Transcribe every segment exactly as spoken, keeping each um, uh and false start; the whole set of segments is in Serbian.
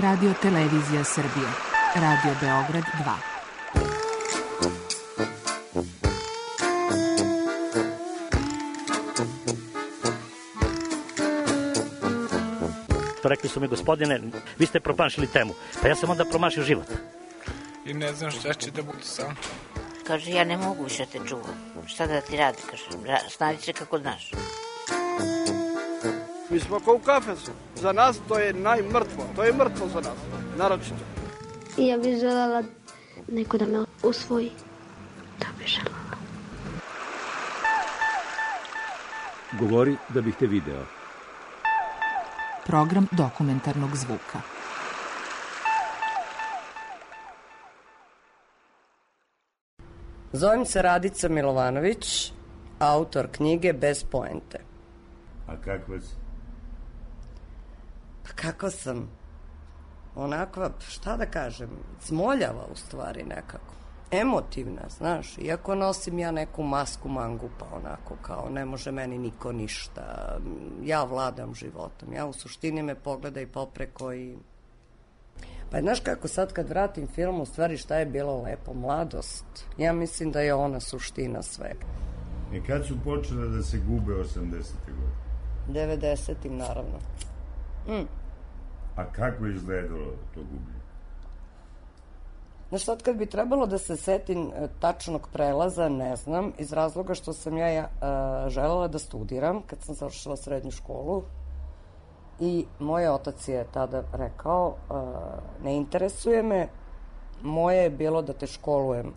Radio Televizija Srbije. Radio Beograd dva. Rekli su mi, gospodine, vi ste promašili temu. Pa ja sam onda promašio život. I ne znam šta će da bude sam. Kaže, ja ne mogu više te čuvam. Šta da ti radi, kaže, snađi se kako znaš. Mi smo kao u kafesu. Za nas to je najmrtvo. To je mrtvo za nas, naročito. I ja bih želela neko da me usvoji. To bih želela. Govori da bih te video. Program dokumentarnog zvuka. Zovem se Radica Milovanović, autor knjige Bez poente. A kakva si? Pa kako sam? Onakva, šta da kažem, smoljava u stvari nekako. Emotivna, znaš, iako nosim ja neku masku mangupa, onako kao ne može meni niko ništa, ja vladam životom, ja u suštini me pogledaj popreko i... Pa znaš kako sad kad vratim film, u stvari šta je bilo lepo, mladost, ja mislim da je ona suština svega. I kad su počele da se gube osamdesete godine? devedesetim naravno. Mm. A kako je izgledalo to gubljenje? Znaš, sad kad bi trebalo da se setim tačnog prelaza, ne znam, iz razloga što sam ja, ja uh, želela da studiram kad sam završila srednju školu i moj otac je tada rekao, uh, ne interesuje me, moje je bilo da te školujem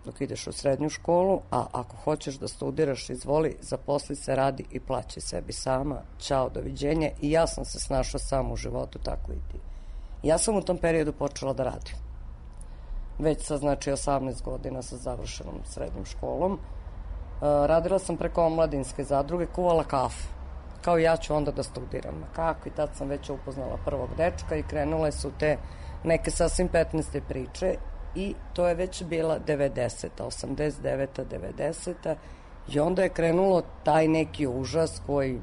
dok ideš u srednju školu, a ako hoćeš da studiraš, izvoli, zaposli se, radi i plaći sebi sama, ćao, doviđenje. I ja sam se snašla sama u životu, tako i ti. Ja sam u tom periodu počela da radim. Već sa, znači, osamnaest godina sa završenom srednjom školom. Uh, radila sam preko omladinske zadruge, kuvala kafu. Kao ja ću onda da studiram. Kako? I tad sam već upoznala prvog dečka i krenule su te neke sasvim petnaeste priče i to je već bila devedeseta, osamdeset deveta, devedeseta i onda je krenulo taj neki užas koji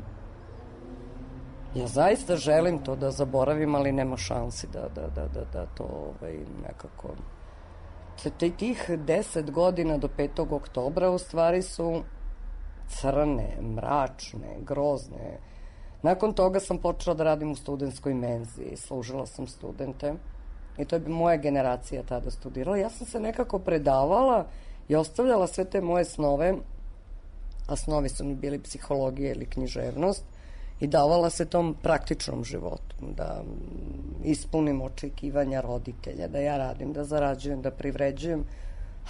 ja zaista želim to da zaboravim, ali nema šansi da, da, da, da, da to ovaj, nekako... Tih deset godina do petog oktobra u stvari su crne, mračne, grozne. Nakon toga sam počela da radim u studentskoj menzi, služila sam studente i to je moja generacija tada studirala. Ja sam se nekako predavala i ostavljala sve te moje snove, a snovi su mi bili psihologija ili književnost, i davala se tom praktičnom životu, da ispunim očekivanja roditelja, da ja radim, da zarađujem, da privređujem,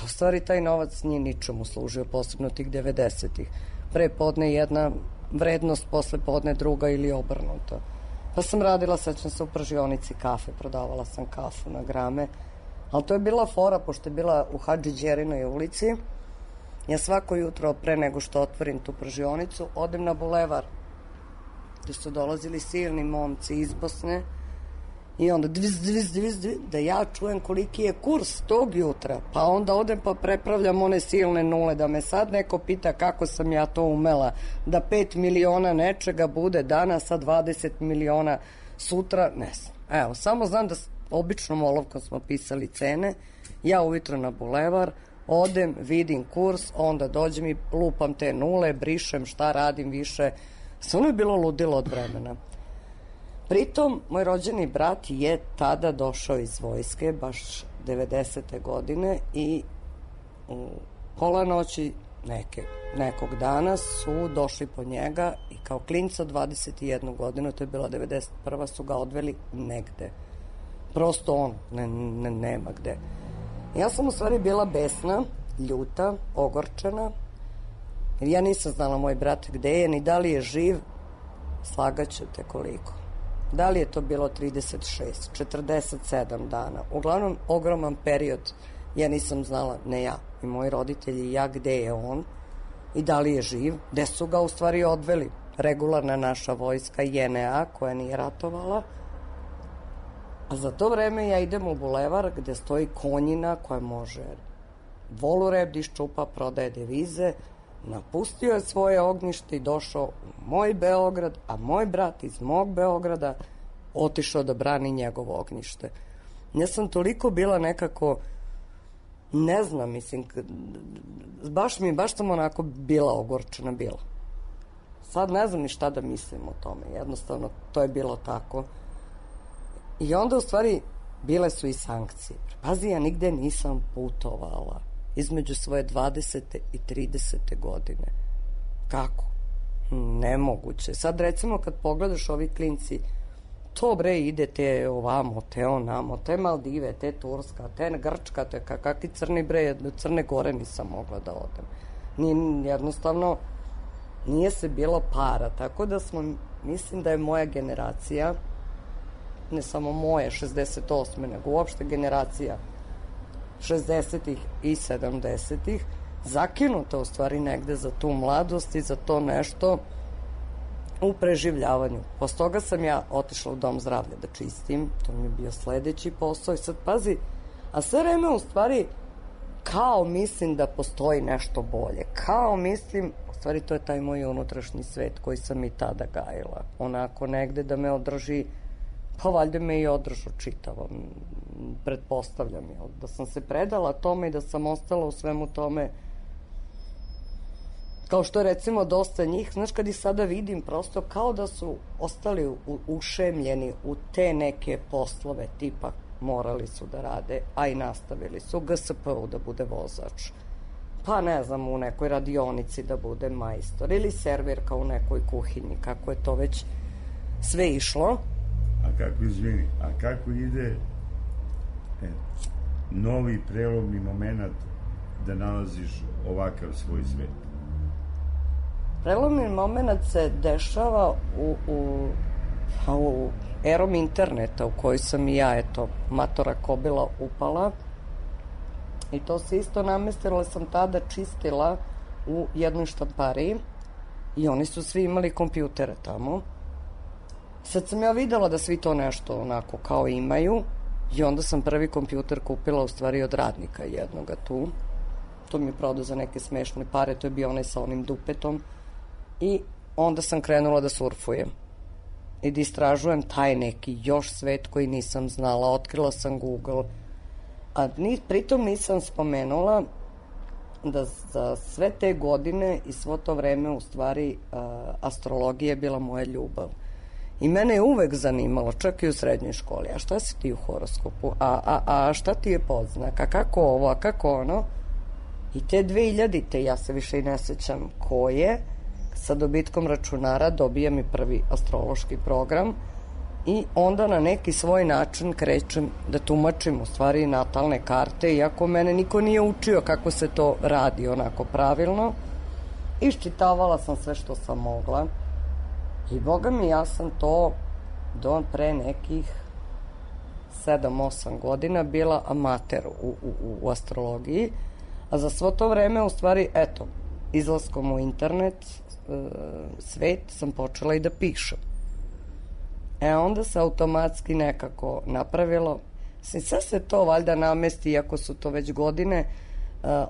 a u stvari taj novac nije ničemu služio, posebno tih devedesetih. Pre podne jedna vrednost, posle podne druga ili obrnuto. Pa sam radila, sećam se, u pržionici kafe, prodavala sam kafu na grame, ali to je bila fora, pošto je bila u Hadži Đerinoj ulici. Ja svako jutro, pre nego što otvorim tu pržionicu, odem na bulevar, gde su dolazili silni momci iz Bosne i onda dviz, dviz, dviz, dviz, da ja čujem koliki je kurs tog jutra, pa onda odem pa prepravljam one silne nule, da me sad neko pita kako sam ja to umela, da pet miliona nečega bude danas, a dvadeset miliona sutra, ne znam. Evo, samo znam da običnom olovkom smo pisali cene, ja ujutro na bulevar, odem, vidim kurs, onda dođem i lupam te nule, brišem šta radim više. Samo je bilo ludilo od vremena. Pritom, moj rođeni brat je tada došao iz vojske, baš devedesete godine, i u pola noći neke, nekog dana su došli po njega i kao klinca dvadeset jednu godinu, to je bila devedeset prva, su ga odveli negde. Prosto on, ne, ne, nema gde. Ja sam u stvari bila besna, ljuta, ogorčena, jer ja nisam znala moj brat gde je, ni da li je živ, slagaću te koliko. Da li je to bilo trideset šest, četrdeset sedam dana, uglavnom ogroman period, ja nisam znala, ne ja, i moji roditelji i ja, gde je on i da li je živ, gde su ga u stvari odveli. Regularna naša vojska J N A koja nije ratovala, a za to vreme ja idem u bulevar gde stoji konjina koja može volurep da iščupa, prodaje devize, napustio je svoje ognjište i došao u moj Beograd, a moj brat iz mog Beograda otišao da brani njegovo ognjište. Ja sam toliko bila nekako, ne znam, mislim, baš mi, baš sam onako bila ogorčena, bila. Sad ne znam ni šta da mislim o tome, jednostavno to je bilo tako. I onda u stvari bile su i sankcije. Pazi, ja nigde nisam putovala između svoje dvadesete i tridesete godine. Kako? Nemoguće. Sad recimo kad pogledaš ovi klinci, to bre ide te ovamo, te onamo, te Maldive, te Turska, te Grčka, te kakvi crni bre, Crne Gore nisam mogla da odem. Ni, jednostavno nije se bilo para, tako da smo, mislim da je moja generacija, ne samo moje, šezdeset osme, nego uopšte generacija šezdesetih i sedamdesetih, zakinuta u stvari negde za tu mladost i za to nešto u preživljavanju. Posle toga sam ja otišla u dom zdravlja da čistim, to mi je bio sledeći posao i sad pazi, a sve vreme u stvari kao mislim da postoji nešto bolje, kao mislim, u stvari to je taj moj unutrašnji svet koji sam i tada gajila, onako negde da me održi, pa valjda me i održu čitavo, pretpostavljam, jel, da sam se predala tome i da sam ostala u svemu tome, kao što je recimo dosta njih, znaš, kad i sada vidim prosto kao da su ostali u, ušemljeni u te neke poslove, tipa morali su da rade, a i nastavili su u G S P-u da bude vozač, pa ne znam, u nekoj radionici da bude majstor ili servirka u nekoj kuhinji, kako je to već sve išlo. A kako, izvini, a kako ide e, novi prelomni moment da nalaziš ovakav svoj svet? Prelomni moment se dešava u, u, u erom interneta u kojoj sam i ja, eto, matora kobila upala i to se isto namestila, sam tada čistila u jednoj štampariji i oni su svi imali kompjutere tamo. Sad sam ja videla da svi to nešto onako kao imaju i onda sam prvi kompjuter kupila u stvari od radnika jednoga tu. To mi je prodao za neke smešne pare, to je bio onaj sa onim dupetom. I onda sam krenula da surfujem i da istražujem taj neki još svet koji nisam znala. Otkrila sam Google, a ni, pritom nisam spomenula da za sve te godine i svo to vreme u stvari a, astrologija je bila moja ljubav. I mene je uvek zanimalo, čak i u srednjoj školi, a šta si ti u horoskopu, a, a, a šta ti je podznak, a kako ovo, a kako ono. I te dve hiljadite, ja se više i ne sećam koje, sa dobitkom računara dobijam i prvi astrološki program i onda na neki svoj način krećem da tumačim u stvari natalne karte, iako mene niko nije učio kako se to radi onako pravilno. Iščitavala sam sve što sam mogla i boga mi, ja sam to do pre nekih sedam osam godina bila amater u, u, u astrologiji, a za svo to vreme u stvari, eto, izlaskom u internet svet sam počela i da pišem. E onda se automatski nekako napravilo, sve se to valjda namesti, iako su to već godine,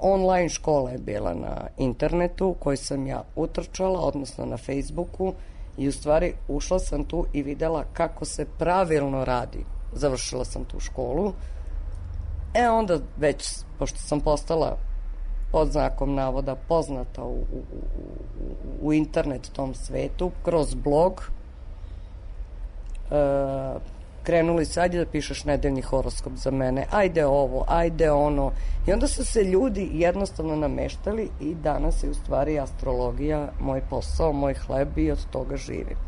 online škola je bila na internetu u kojoj sam ja utrčala, odnosno na Facebooku, i u stvari ušla sam tu i videla kako se pravilno radi. Završila sam tu školu. E onda već, pošto sam postala pod znakom navoda poznata u, u, u, u internet tom svetu, kroz blog, e, krenuli se, ajde da pišeš nedeljni horoskop za mene, ajde ovo, ajde ono, i onda su se ljudi jednostavno nameštali i danas je u stvari astrologija moj posao, moj hleb i od toga živim.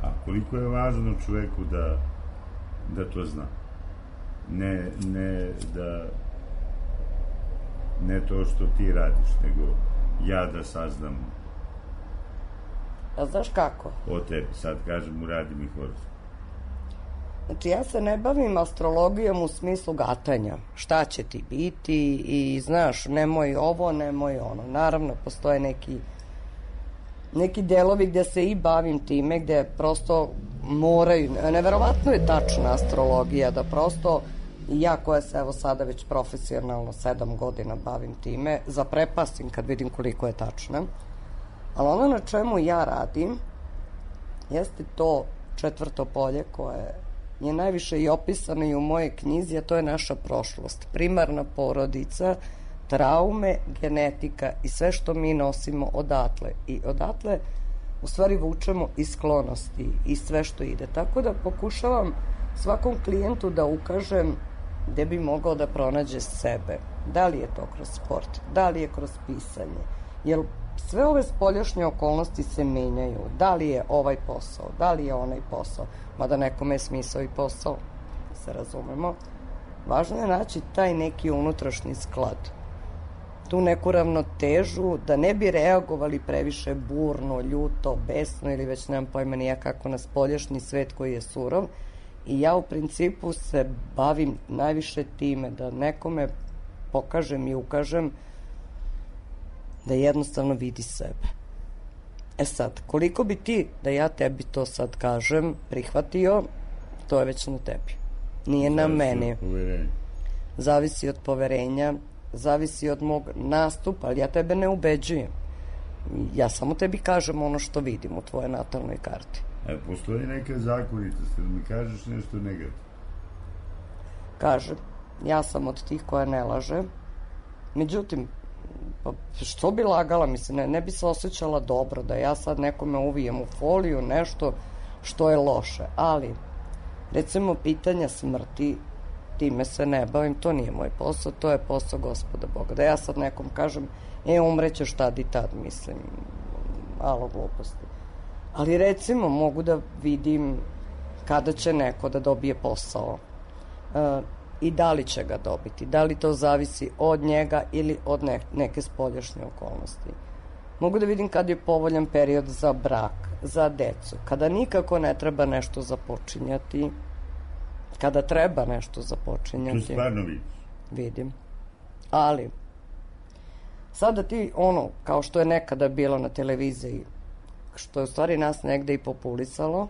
A koliko je važno čoveku da, da to zna? Ne, ne da ne to što ti radiš, nego ja da saznam. A znaš kako? O tebi, sad kažem, uradi mi horoskop. Znači, ja se ne bavim astrologijom u smislu gatanja. Šta će ti biti i, znaš, nemoj ovo, nemoj ono. Naravno, postoje neki neki delovi gde se i bavim time, gde prosto moraju, neverovatno je tačna astrologija, da prosto ja koja se evo sada već profesionalno sedam godina bavim time, zaprepastim kad vidim koliko je tačna. Ali ono na čemu ja radim jeste to četvrto polje koje je najviše i opisano i u mojoj knjizi, a to je naša prošlost. Primarna porodica, traume, genetika i sve što mi nosimo odatle. I odatle u stvari vučemo i sklonosti i sve što ide. Tako da pokušavam svakom klijentu da ukažem gde bi mogao da pronađe sebe. Da li je to kroz sport, da li je kroz pisanje. Jer sve ove spoljašnje okolnosti se menjaju. Da li je ovaj posao, da li je onaj posao. Mada nekome je smisao i posao, se razumemo. Važno je naći taj neki unutrašnji sklad. Tu neku ravnotežu, da ne bi reagovali previše burno, ljuto, besno ili već nemam pojma nija kako na spoljašnji svet koji je surov. I ja u principu se bavim najviše time da nekome pokažem i ukažem da jednostavno vidi sebe. E sad, koliko bi ti, da ja tebi to sad kažem, prihvatio, to je već na tebi. Nije na meni. Zavisi od poverenja, zavisi od mog nastupa, ali ja tebe ne ubeđujem. Ja samo tebi kažem ono što vidim u tvojoj natalnoj karti. A postoji neka zakonitost, da mi kažeš nešto negativno? Kažem, ja sam od tih koja ne laže. Međutim, pa što bi lagala, mislim, ne, ne bi se osjećala dobro da ja sad nekome uvijem u foliju nešto što je loše. Ali, recimo, pitanja smrti, time se ne bavim, to nije moj posao, to je posao Gospoda Boga. Da ja sad nekom kažem, e, umrećeš tad i tad, mislim, malo gluposti. Ali recimo mogu da vidim kada će neko da dobije posao e, i da li će ga dobiti, da li to zavisi od njega ili od ne, neke spoljašnje okolnosti. Mogu da vidim kada je povoljan period za brak, za decu, kada nikako ne treba nešto započinjati, kada treba nešto započinjati. Tu stvarno vidiš? Vidim. Ali, sada ti ono, kao što je nekada bilo na televiziji, što je u stvari nas negde i populisalo,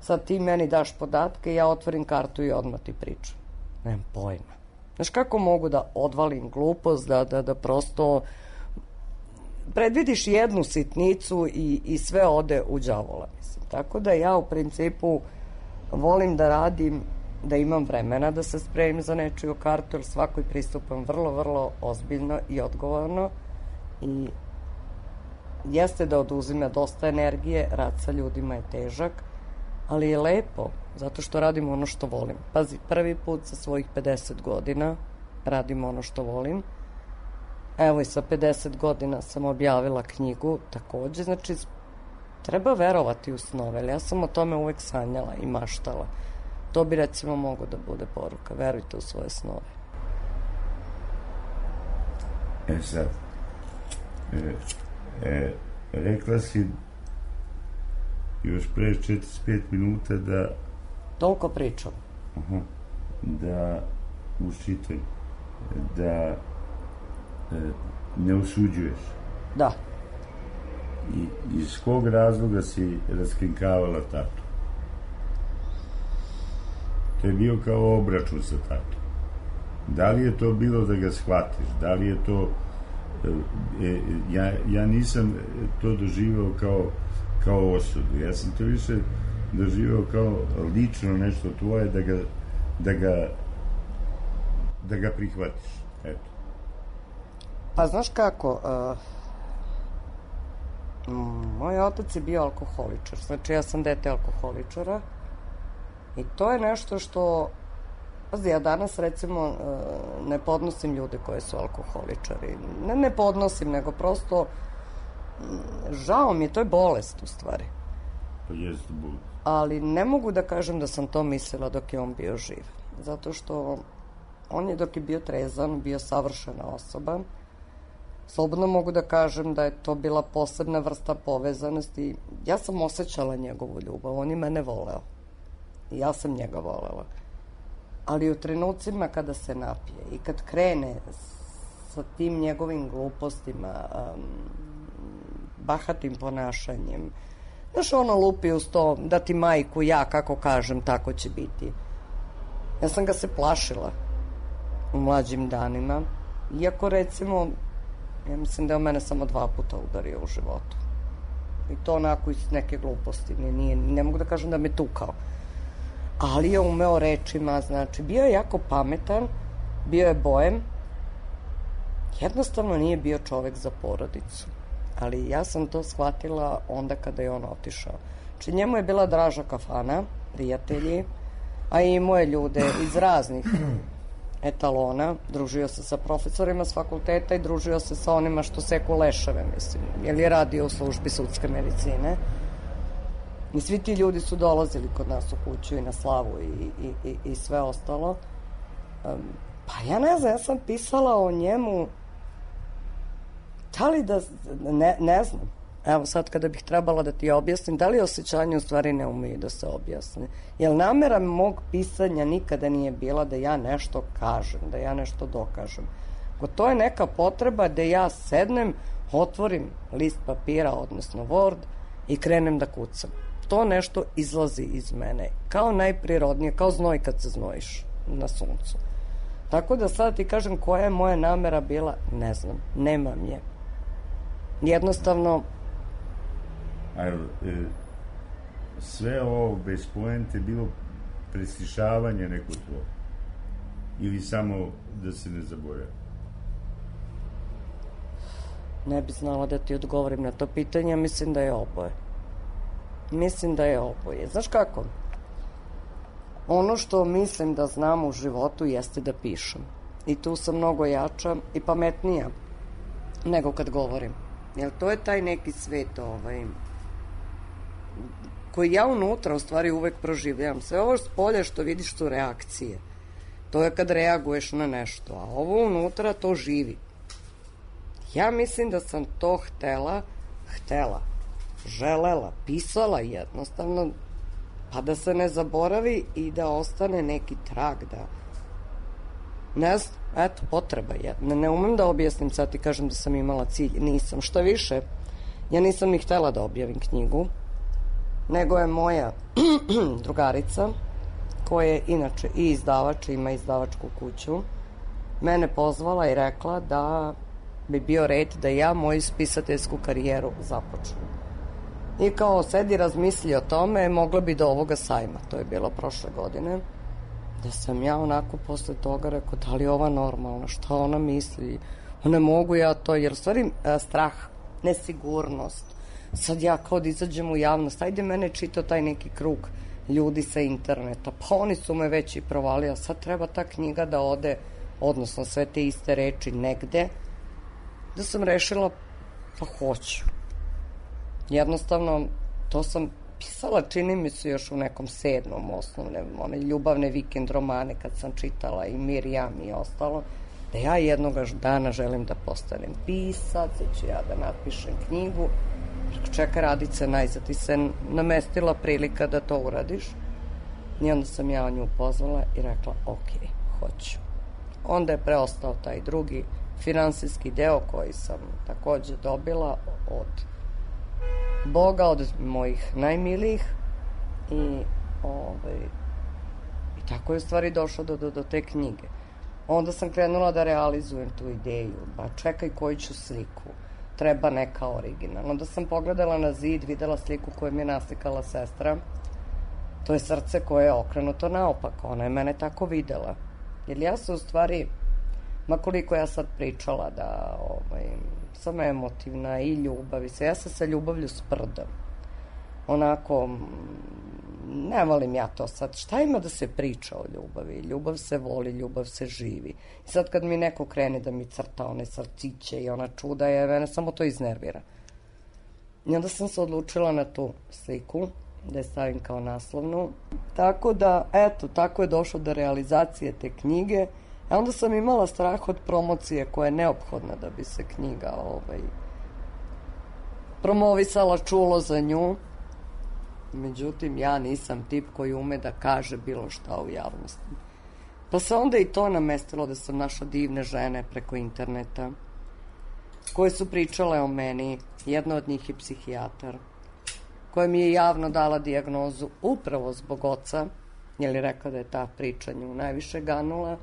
sad ti meni daš podatke, ja otvorim kartu i odmah ti pričam. Nemam pojma. Znaš kako mogu da odvalim glupost, da, da, da prosto predvidiš jednu sitnicu i, i sve ode u đavola, mislim. Tako da ja u principu volim da radim, da imam vremena da se spremim za nečiju kartu, jer svakoj pristupam vrlo, vrlo ozbiljno i odgovorno i jeste da oduzime dosta energije, rad sa ljudima je težak, ali je lepo, zato što radim ono što volim. Pazi, prvi put sa svojih pedeset godina radim ono što volim. Evo i sa pedeset godina sam objavila knjigu, takođe, znači treba verovati u snove, ali ja sam o tome uvek sanjala i maštala. To bi recimo mogo da bude poruka, verujte u svoje snove. E sad, e, e, rekla si još pre četrdeset pet minuta da... Toliko pričam. Aha, da učitaj, da e, ne osuđuješ. Da. I iz kog razloga si raskrinkavala tatu? To je bio kao obračun sa tatom. Da li je to bilo da ga shvatiš? Da li je to... E, ja, ja nisam to doživao kao, kao osudu. Ja sam to više doživao kao lično nešto tvoje da ga, da ga, da ga prihvatiš. Eto. Pa znaš kako... Uh... Moj otac je bio alkoholičar, znači ja sam dete alkoholičara i to je nešto što, pazi, ja danas recimo ne podnosim ljude koji su alkoholičari, ne ne podnosim, nego prosto žao mi je, to je bolest u stvari. To jeste bolest. Ali ne mogu da kažem da sam to mislila dok je on bio živ, zato što on je dok je bio trezan, bio savršena osoba. Slobodno mogu da kažem da je to bila posebna vrsta povezanosti. Ja sam osjećala njegovu ljubav, on je mene voleo. I ja sam njega volela. Ali u trenucima kada se napije i kad krene sa tim njegovim glupostima, um, bahatim ponašanjem, znaš, ono lupi uz to da ti majku ja, kako kažem, tako će biti. Ja sam ga se plašila u mlađim danima, iako recimo... Ja mislim da je on mene samo dva puta udario u životu. I to onako iz neke gluposti. Ne, nije, ne mogu da kažem da me tukao. Ali je umeo rečima, znači, bio je jako pametan, bio je bojem, jednostavno nije bio čovek za porodicu. Ali ja sam to shvatila onda kada je on otišao. Znači, njemu je bila draža kafana, prijatelji, a i moje ljude iz raznih etalona, družio se sa profesorima s fakulteta i družio se sa onima što seku leševe, mislim, jer je radio u službi sudske medicine. I svi ti ljudi su dolazili kod nas u kuću i na slavu i, i, i, i sve ostalo. Um, pa ja ne znam, ja sam pisala o njemu, da li da, ne, ne znam, evo sad kada bih trebala da ti objasnim, da li osjećanje u stvari ne umeju da se objasne. Jer namera mog pisanja nikada nije bila da ja nešto kažem, da ja nešto dokažem. To je neka potreba da ja sednem, otvorim list papira, odnosno Word, i krenem da kucam. To nešto izlazi iz mene, kao najprirodnije, kao znoj kad se znojiš na suncu. Tako da sad ti kažem koja je moja namera bila, ne znam, nemam je. Jednostavno, A e, sve ovo bez poente bilo preslišavanje neko tvo? Ili samo da se ne zaboravim? Ne bi znala da ti odgovorim na to pitanje, mislim da je oboje. Mislim da je oboje. Znaš kako? Ono što mislim da znam u životu jeste da pišem. I tu sam mnogo jača i pametnija nego kad govorim. Jer to je taj neki svet ovaj, koji ja unutra u stvari uvek proživljavam. Sve ovo spolje što vidiš su reakcije. To je kad reaguješ na nešto. A ovo unutra to živi. Ja mislim da sam to htela, htela, želela, pisala jednostavno, pa da se ne zaboravi i da ostane neki trag, da ne znam, eto, potreba je. Ne, ne umem da objasnim, sad ti kažem da sam imala cilj, nisam. Šta više, ja nisam ni htela da objavim knjigu, nego je moja drugarica, koja je inače i izdavač, ima izdavačku kuću, mene pozvala i rekla da bi bio red da ja moju spisateljsku karijeru započnem. I kao sedi razmisli o tome, mogla bi do ovoga sajma, to je bilo prošle godine, da sam ja onako posle toga rekao, da li je ova normalna, šta ona misli, ne mogu ja to, jer u stvari strah, nesigurnost, sad ja kao da izađem u javnost, ajde mene čitao taj neki krug ljudi sa interneta, pa oni su me već i provali, a sad treba ta knjiga da ode, odnosno sve te iste reči negde, da sam rešila, pa hoću. Jednostavno, to sam pisala, čini mi se još u nekom sedmom osnovne, one ljubavne vikend romane kad sam čitala i Mirjam i ostalo, da ja jednog dana želim da postanem pisac, da ću ja da napišem knjigu. Čeka Radice, najzad ti se namestila prilika da to uradiš. I onda sam ja nju pozvala i rekla, ok, hoću. Onda je preostao taj drugi finansijski deo koji sam takođe dobila od Boga, od mojih najmilijih i, ovaj, i tako je u stvari došlo do, do, do te knjige. Onda sam krenula da realizujem tu ideju, ba čekaj koju ću sliku, treba neka originalna. Onda sam pogledala na zid, videla sliku koju mi je naslikala sestra, to je srce koje je okrenuto naopako, ona je mene tako videla. Jer ja se u stvari, ma koliko ja sad pričala da ovaj, sam emotivna i ljubav, ja se sa ljubavlju sprdam. Onako, ne volim ja to sad. Šta ima da se priča o ljubavi? Ljubav se voli, ljubav se živi. I sad kad mi neko krene da mi crta one srciće i ona čuda, je, mene samo to iznervira. I onda sam se odlučila na tu sliku, da je stavim kao naslovnu. Tako da, eto, tako je došlo do realizacije te knjige. A onda sam imala strah od promocije koja je neophodna da bi se knjiga ovaj, promovisala, čulo za nju. Međutim, ja nisam tip koji ume da kaže bilo šta u javnosti. Pa se onda i to namestilo da sam našla divne žene preko interneta koje su pričale o meni. Jedna od njih je psihijatar koja mi je javno dala dijagnozu upravo zbog oca, jer je rekla da je ta priča nju najviše ganula,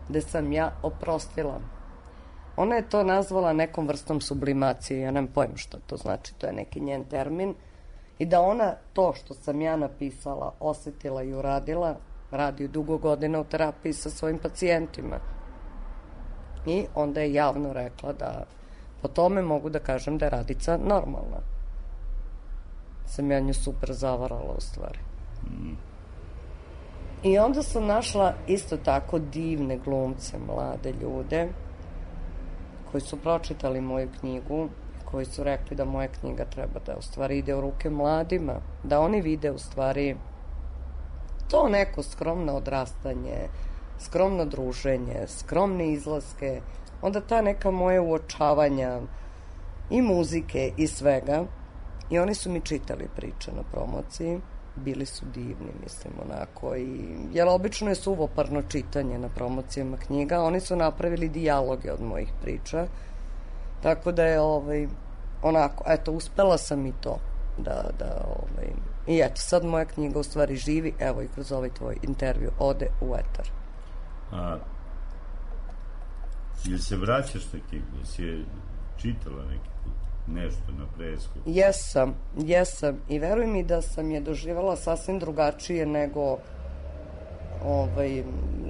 da sam ja oprostila. ona je to nazvala nekom vrstom sublimacije, ja nemam pojma što to znači, to je neki njen termin, i da ona to što sam ja napisala, osetila i uradila, radi dugo godina u terapiji sa svojim pacijentima. I onda je javno rekla da po tome mogu da kažem da je Radica normalna. Sam ja nju super zavarala u stvari. Mm. I onda sam našla isto tako divne glumce, mlade ljude koji su pročitali moju knjigu, koji su rekli da moja knjiga treba da u stvari ide u ruke mladima, da oni vide u stvari to neko skromno odrastanje, skromno druženje, skromne izlaske, onda ta neka moja uočavanja i muzike i svega. I oni su mi čitali priče na promociji, bili su divni, mislim, onako, i, jer obično je suvoparno čitanje na promocijama knjiga, oni su napravili dijaloge od mojih priča, tako da je, ovaj, onako, eto, uspela sam i to, da, da, ovaj, i eto, sad moja knjiga u stvari živi, evo i kroz ovaj tvoj intervju, ode u etar. A, jel se vraćaš na knjigu? Jesi je čitala neki put? Nešto na presku? Jesam, jesam. I veruj mi da sam je doživjela sasvim drugačije nego ovaj,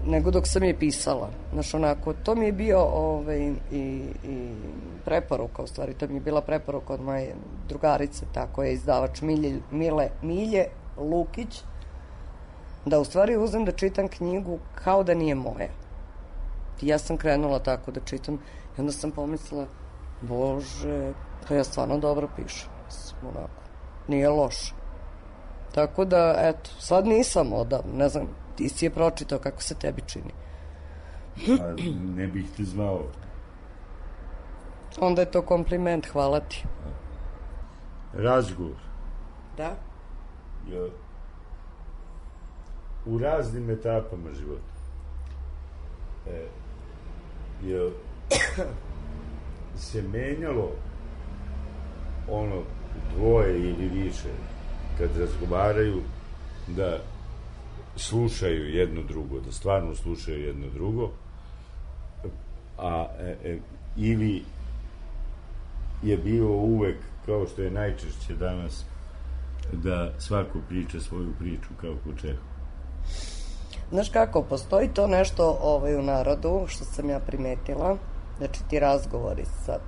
nego dok sam je pisala. Znaš, onako, to mi je bio ovaj, i, i preporuka, u stvari, to mi je bila preporuka od moje drugarice, tako je izdavač Milje, Mile, Milje Lukić, da u stvari uzem da čitam knjigu kao da nije moja. I ja sam krenula tako da čitam i onda sam pomislila, Bože, pa ja stvarno dobro pišem, onako, nije loše. Tako da, eto, sad nisam odavno, ne znam, ti si je pročitao, kako se tebi čini? A ne bih te zvao. Onda je to kompliment, hvala ti. Razgovor. Da? Je u raznim etapama života. E, je se menjalo ono dvoje ili više kad razgovaraju da slušaju jedno drugo, da stvarno slušaju jedno drugo, a e, e, ili je bilo uvek, kao što je najčešće danas, da svako priča svoju priču kao ko Čehov. Znaš kako, postoji to nešto ovaj, u narodu, što sam ja primetila, znači ti razgovori sad.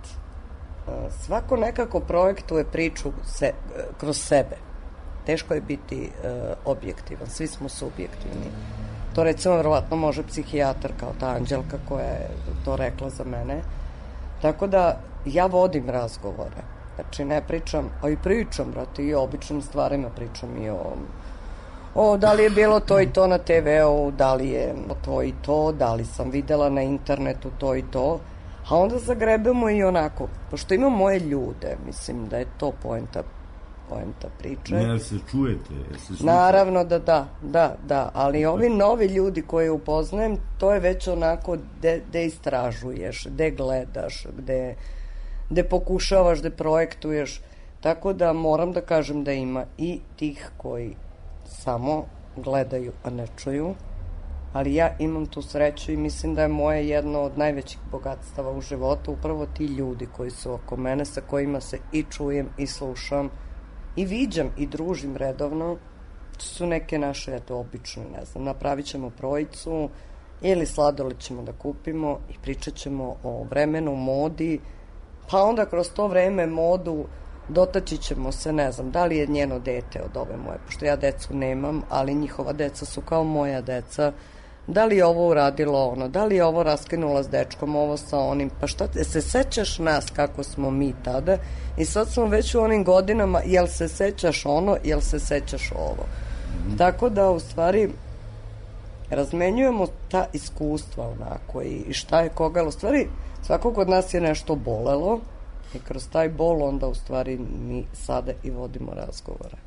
Svako nekako projektuje priču se, kroz sebe. Teško je biti uh, objektivan, svi smo subjektivni. To recimo verovatno može psihijatar kao ta Anđelka koja je to rekla za mene. Tako da ja vodim razgovore. Znači ne pričam, a i pričam, brate, i o običnim stvarima pričam i o, o da li je bilo to i to na te ve-u, da li je to i to, da li sam videla na internetu to i to. A onda zagrebemo i onako, pošto imam moje ljude, mislim da je to poenta, poenta priče. Ne, se čujete? Se Naravno da da, da, da, ali ovi novi ljudi koje upoznajem, to je već onako gde istražuješ, gde gledaš, gde, gde pokušavaš, gde projektuješ, tako da moram da kažem da ima i tih koji samo gledaju, a ne čuju, ali ja imam tu sreću i mislim da je moje jedno od najvećih bogatstava u životu upravo ti ljudi koji su oko mene, sa kojima se i čujem i slušam i viđam i družim redovno. To su neke naše, eto, obične, ne znam, napravit ćemo projicu ili sladoled ćemo da kupimo i pričat ćemo o vremenu, modi, pa onda kroz to vreme, modu, dotaći ćemo se, ne znam, da li je njeno dete od ove moje, pošto ja decu nemam, ali njihova deca su kao moja deca, da li je ovo uradilo ono, da li je ovo raskinula s dečkom, ovo sa onim, pa šta te, se sećaš nas kako smo mi tada i sad smo već u onim godinama, jel se sećaš ono, jel se sećaš ovo. Mm-hmm. Tako da, u stvari, razmenjujemo ta iskustva onako i, i šta je koga, u stvari, svakog od nas je nešto bolelo i kroz taj bol onda, u stvari, mi sada i vodimo razgovore.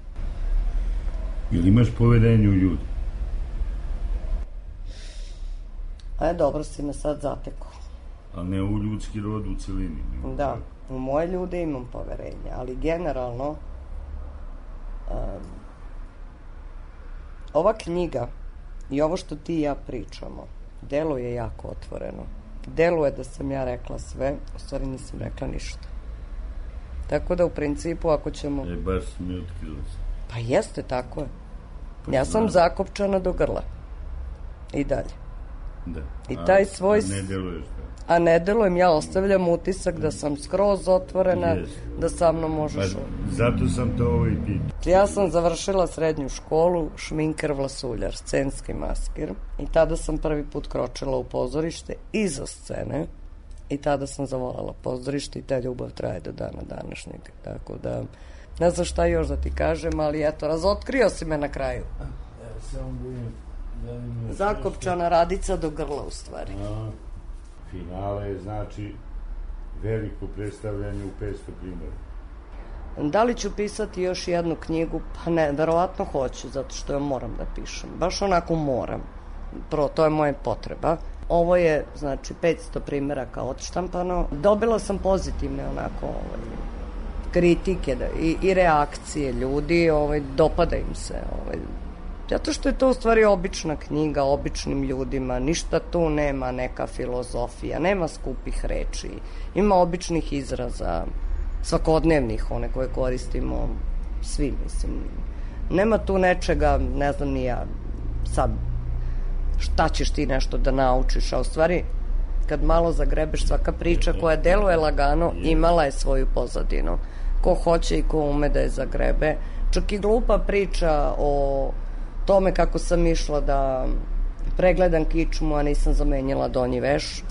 Ili imaš poverenje u ljudi? A je, dobro si me sad zatekao. A ne u ljudski rod u celini. Da, u moje ljude imam poverenje, ali generalno um, ova knjiga i ovo što ti i ja pričamo deluje jako otvoreno. deluje da sam ja rekla sve, u stvari nisam rekla ništa. Tako da u principu ako ćemo... E, baš mi otkrila se. Pa jeste, tako je. Ja sam zakopčana do grla. I dalje. Da. I taj a, svoj... A ne deluješ da? A ne delujem, ja ostavljam utisak da sam skroz otvorena, yes. Da sa mnom možeš... Pa, zato sam to ovo i pitao. Ja sam završila srednju školu, šminker, vlasuljar, scenski maskir. I tada sam prvi put kročila u pozorište iza scene. I tada sam zavoljela pozorište i ta ljubav traje do dana današnjeg. Tako da, ne znam šta još da ti kažem, ali eto, razotkrio si me na kraju. Evo, samo budem... Zakopčana radica do grla, u stvari. A, finale je, znači, veliko predstavljanje u petsto primjera. Da li ću pisati još jednu knjigu? Pa ne, verovatno hoću, zato što ja moram da pišem. Baš onako moram. Prvo, to je moja potreba. Ovo je, znači, petsto primjeraka odštampano. Dobila sam pozitivne, onako, ovaj, kritike da, i, i reakcije ljudi, ovaj, dopada im se, ovaj, zato što je to u stvari obična knjiga običnim ljudima, ništa tu nema neka filozofija, nema skupih reči, ima običnih izraza, svakodnevnih, one koje koristimo svi, mislim. Nema tu nečega, ne znam ni ja, sad, šta ćeš ti nešto da naučiš, a u stvari, kad malo zagrebeš, svaka priča koja deluje lagano, imala je svoju pozadinu. Ko hoće i ko ume da je zagrebe. Čak i glupa priča o tome kako sam išla da pregledam kičmu, a nisam zamenjala donji veš.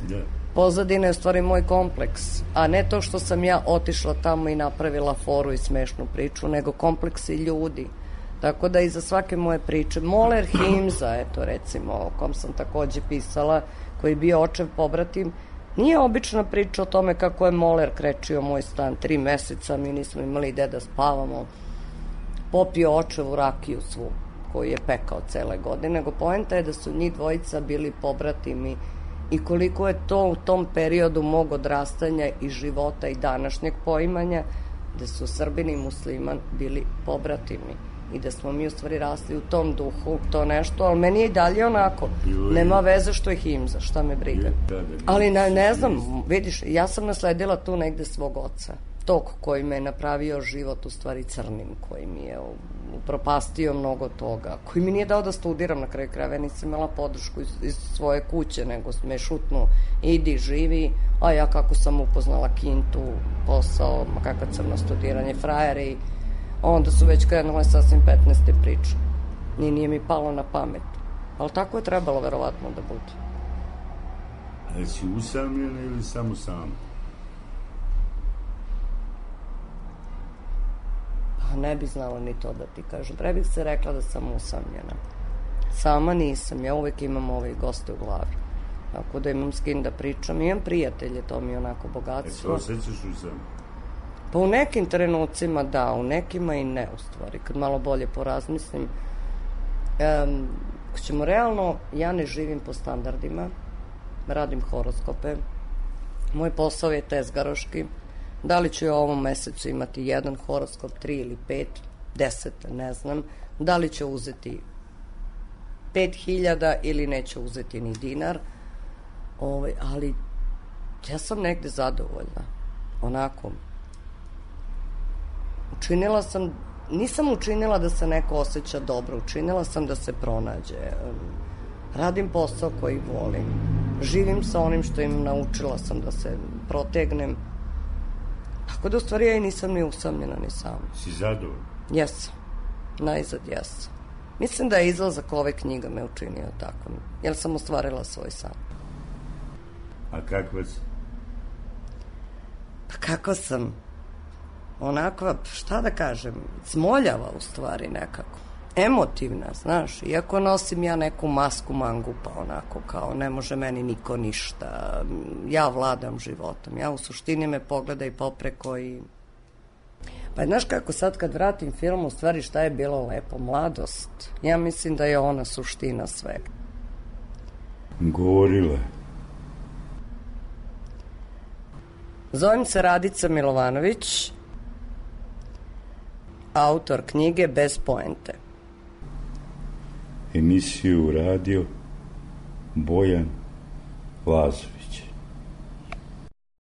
Pozadina je u stvari moj kompleks, a ne to što sam ja otišla tamo i napravila foru i smešnu priču, nego kompleksi ljudi. Tako da iza svake moje priče, Moler Himza, eto recimo, o kom sam takođe pisala, koji je bio očev pobratim, nije obična priča o tome kako je Moler krečio moj stan tri meseca, mi nismo imali gde da spavamo, popio očevu rakiju svu, koju je pekao cele godine, nego poenta je da su njih dvojica bili pobratimi i koliko je to u tom periodu mog odrastanja i života i današnjeg poimanja, da su Srbin i musliman bili pobratimi i da smo mi u stvari rasli u tom duhu, to nešto, ali meni je i dalje onako, nema veze što je Himza, šta me briga. Ali ne, ne znam, vidiš, ja sam nasledila tu negde svog oca, tog koji me je napravio život u stvari crnim, koji mi je upropastio mnogo toga, koji mi nije dao da studiram na kraju krajeva, nisam imala podršku iz, iz svoje kuće, nego me šutnu, idi, živi, a ja kako sam upoznala kintu, posao, kakva crno studiranje, frajeri, onda su već krenule sasvim petnaeste priče. Nije, nije mi palo na pamet. Ali tako je trebalo verovatno da bude. A jesi usamljena ili samo sama? Pa ne bi znala ni to da ti kažem. Pre bih se rekla da sam usamljena. Sama nisam. Ja uvek imam ove goste u glavi. Tako da imam s kim da pričam. Imam prijatelje, to mi je onako bogatstvo. E, osjećaš usamljena? Pa u nekim trenucima da, u nekima i ne, u stvari. Kad malo bolje porazmislim. Um, ako ćemo realno, ja ne živim po standardima. Radim horoskope. Moj posao je tezgaroški. Da li ću u ovom mesecu imati jedan horoskop, tri ili pet, deset, ne znam. Da li ću uzeti pet hiljada ili neću uzeti ni dinar. Ovaj, ali ja sam negde zadovoljna. Onako. Učinila sam, nisam učinila da se neko osjeća dobro, učinila sam da se pronađe. Radim posao koji volim. Živim sa onim što im naučila sam da se protegnem. Tako da u stvari ja i nisam ni usamljena ni sama. Si zadovoljna? Jesam. Najzad jesam. Mislim da je izlazak ove knjiga me učinio tako. Jer sam ostvarila svoj san. A kakva si? Pa kako sam? Onakva, šta da kažem, smoljava u stvari nekako. Emotivna, znaš, iako nosim ja neku masku mangupa, onako kao ne može meni niko ništa, ja vladam životom, ja u suštini me pogledaj popreko i... Pa znaš kako sad kad vratim film, u stvari šta je bilo lepo, mladost, ja mislim da je ona suština svega. Govorila. Zovem se Radica Milovanović, autor knjige Bez poente. Emisiju radio Bojan Lazović.